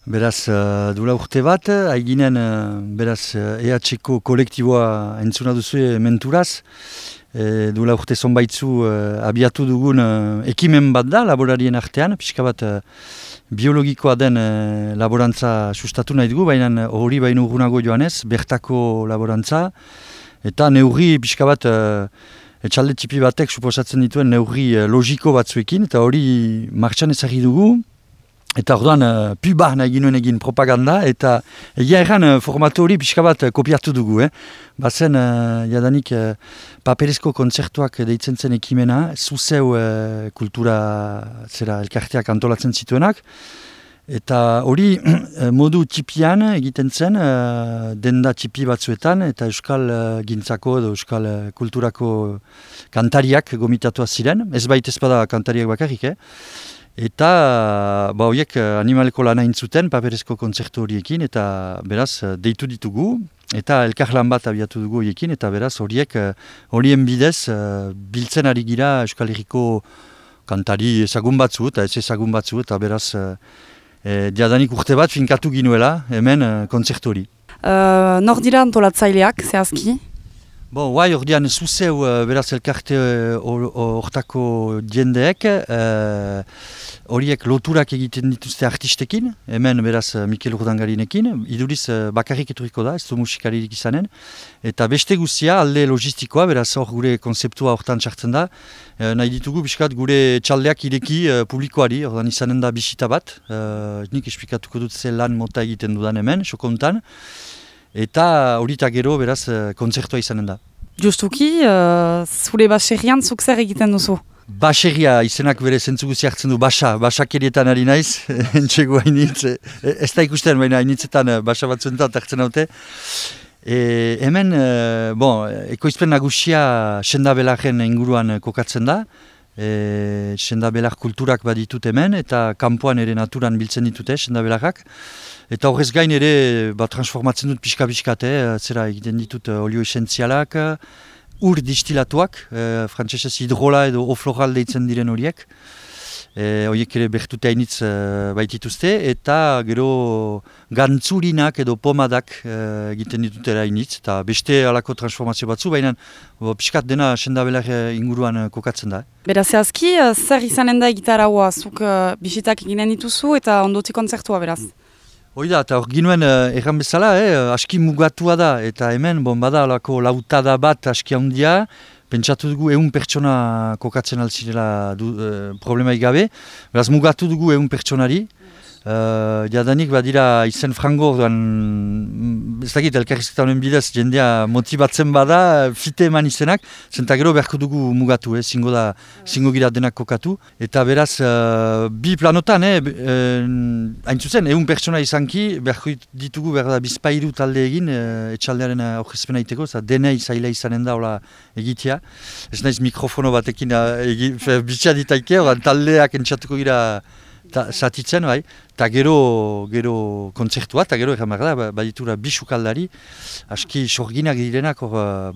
Beraz, duela urte bat, haiginen, beraz, EH-ko kolektiboa entzuna duzu menturaz. Duela urte zonbaitzu abiatu dugun ekimen bat da, laborarien artean, pixka bat biologikoa den laborantza sustatu nahi dugu, baina hori baino urgunago joanez, bertako laborantza, eta neurri pixka bat etxalde txipi batek suposatzen dituen neurri logiko batzuekin, eta hori martxan ezagri dugu. Eta orduan, puba nahi ginuen egin propaganda, eta egia erran formatu hori pixka bat kopiatu dugu. Bazen, jadanik, paperezko kontzertuak deitzen zen ekimena, zuzeu kultura elkarteak antolatzen zituenak, eta hori modu txipian egiten zen, denda txipi batzuetan, eta euskal gintzako edo euskal kulturako kantariak gomitatua ziren, ez baita ezpada kantariak bakarrik, Eta horiek animaleko lana intzuten paperezko kontzertu horiekin, eta beraz deitu ditugu, eta elkarlan bat abiatu dugu horiekin, eta beraz horien bidez biltzen ari gira Euskal Herriko kantari ezagun batzu, eta ez ezagun batzu, eta beraz diadanik urte bat finkatu ginuela hemen kontzertu hori. Nor dira antolatzaileak, zehazki? Guai, ordean zuzeu beraz elkarte hortako jendeek, horiek loturak egiten dituzte artistekin, hemen beraz Mikel Urdangarinekin, iduriz bakarrik eturiko da, ez du musikaririk izanen, eta beste guzia alde logistikoa, beraz hor gure konzeptua hortan txartzen da, nahi ditugu biskat gure txaldeak ireki publikoari, ordan izanen da bisita bat, nik esplikatuko dut ze lan mota egiten dudan hemen, sokontan, eta horita gero beraz kontzertua izanen da. Justuki, zure baserrian zuk zer egiten duzu? Baserria izenak bere zentzu guzi hartzen du, basakerietan ari naiz, entxego hainitz, ez da ikusten, baina hainitzetan basa batzuentan hartzen haute. Hemen, ekoizpen nagusia Sendabelarren inguruan kokatzen da, Sendabelar kulturak baditut hemen, eta kanpoan ere naturan biltzen ditute Sendabelarrak. Eta horrez gain ere transformatzen dut pixka-pixkat, zera egiten ditut olio esentzialak, ur distilatuak, frantsesez hidrola edo ofloral deitzen diren horiek. Horiek ere bertute hainitz baitituzte, eta gero gantzurinak edo pomadak egiten ditutera hainitz, eta beste alako transformazio batzu, baina pixkat dena Sendabelar inguruan kokatzen da. Beraz, zehazki, zer izanen da egitaraua, zuk bisitak eginen dituzu eta ondotik kontzertua beraz? Hoi da, eta hor ginuen erran bezala, aski mugatua da, eta hemen bada alako lautada bat aski handia, pentsatu dugu 100 pertsona kokatzen alzirela problemaik gabe, beraz mugatu dugu 100 pertsonari, jadanik badira izen frango, ez dakit elkarrizketa honen bidez jendea motibatzen bada, fite eman izenak, zenta gero beharko dugu mugatu, zingo gira denak kokatu, eta beraz bi planotan, hain zuzen, 100 pertsona izanki, beharko ditugu berda bizpairu talde egin, etxaldearen aurkezpena egiteko, denei zaila izanen da hola egitea, ez naiz mikrofono batekin bitxea ditaike, taldeak entxatuko gira zatitzen, bai, eta gero kontzertua, eta gero erran behar da, baditura bisukaldari, aski sorginak direnak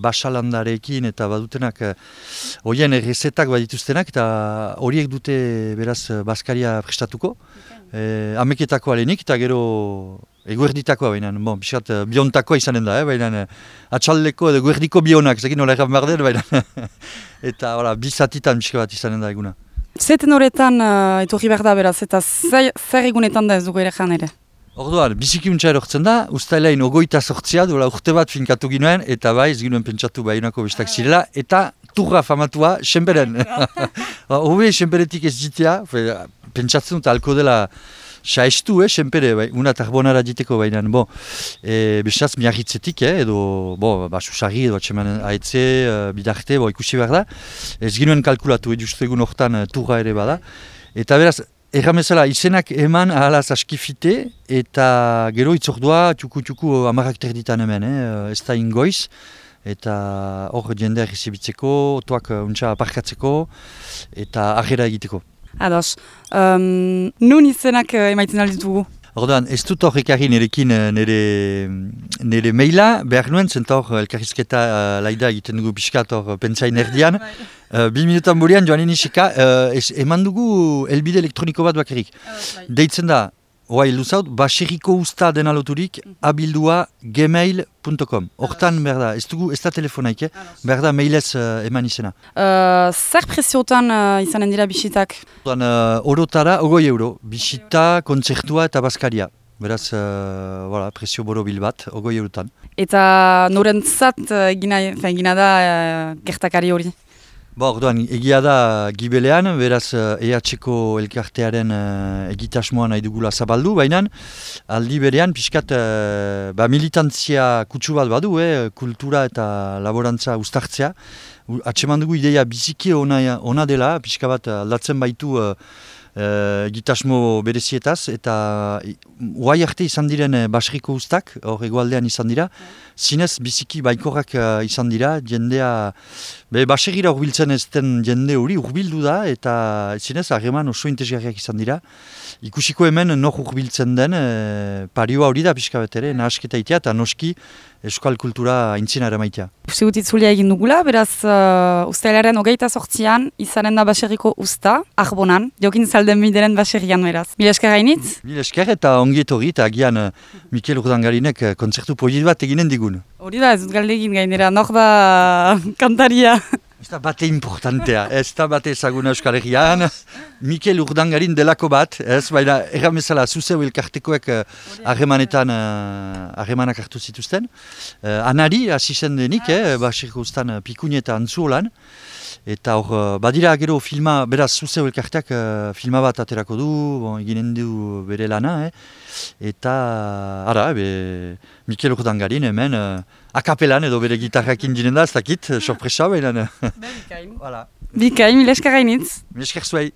basalandarekin eta badutenak horien errezetak badituztenak, eta horiek dute beraz Baskaria prestatuko, ameketako alenik, eta gero eguerditakoa, baina, bisat, biontakoa izanen da, baina, atxaldeko edo eguerdiko bionak, zekin nola erran behar den, baina, eta bi zatitan biska bat izanen da eguna. Zeten horretan etorri behar da beraz, eta zer egunetan da ez dugu ere jan ere? Orduan, bizikiuntza erortzen da, ustailain 28 duela urte bat finkatu ginuen, eta bai, ez ginuen pentsatu bainako bestak zirela, eta turra famatua, senberen. Hove, senberetik ez jitea, pentsatzen dut alko dela saestu, senpere, una tarbonara diteko bainan, besaz miarritzetik, edo, susarri, edo atxeman ahetze, bidarte, ikusi behar da. Ez ginuen kalkulatu, justu egun hortan turra ere bada. Eta beraz, erramezala, izenak eman ahalaz askifite, eta gero itzordua, txuku amarrak terditan hemen, ez da ingoiz. Eta hor jendea errezibitzeko, otoak untsa aparkatzeko, eta argera egiteko. Ados, nun izenak emaitzen alditugu? Orduan, ez dut hor ekarri nerekin nire maila, behar nuen, zenta hor elkarrizketa laida egiten dugu pixkat hor pentsain erdian. 2 minutan burian joan inisika, eman dugu elbide elektroniko bat bakarrik. Deitzen da, Oai, luzaut, baserriko usta dena loturik, abildua gmail.com. Hortan, berda, ez da telefonaik, berda, mailez eman izena. Zer preziotan izanen dira bisitak? Orotara, 20 euro. Bisita, kontzertua eta baskaria. Beraz, prezio borobil bat, 20 eurotan. Eta norentzat egina da gertakari hori? Orduan, egia da Gibelean, beraz EHko elkartearen egitasmoa nahi dugula zabaldu, baina aldi berean pixkat militantzia kutsu bat badu, kultura eta laborantza uztartzea. Atseman dugu ideia biziki ona dela, pixka bat aldatzen baitu egitasmo berezietaz, eta uai arte izan diren baserriko ustak, hor egoaldean izan dira, zinez biziki baikorrak izan dira, jendea, baserrira urbiltzen ez den jende hori urbildu da, eta zinez harreman oso interesgarriak izan dira. Ikusiko hemen nor urbiltzen den, parioa hori da pixka bat ere, nahasketa itea, eta noski euskal kultura aintzina ere maitea. Uste dut itzulia egin dugula, beraz ustailaren 28an izanen da baserriko usta, Arbonan, jokin zalden bideren baserrian beraz. Mila esker gainitz? Mila esker eta ongi etorri, eta agian Mikel Urdangarinek kontzertu polit bat eginen digun. Hori da, ez dut galde egin gainera, nor da kantaria. Ez da bate importantea, ez da bate ezaguna Euskal Herrian, Mikel Urdangarin delako bat, ez, baina erramezala zuzeu elkartekoek harremanak hartu zituzten. Anari, hasi zen denik, baserriko ustan Pikuni eta Antzuolan, eta hor, badira gero filma, beraz zuzeu elkarteak filma bat aterako du, eginen du bere lana, eta, Mikel Urdangarin hemen, akapelan edo bere gitarrakin dinen da, ez dakit, sorpresa behinan. Bikain, mila esker gainitz. Mila esker zuei.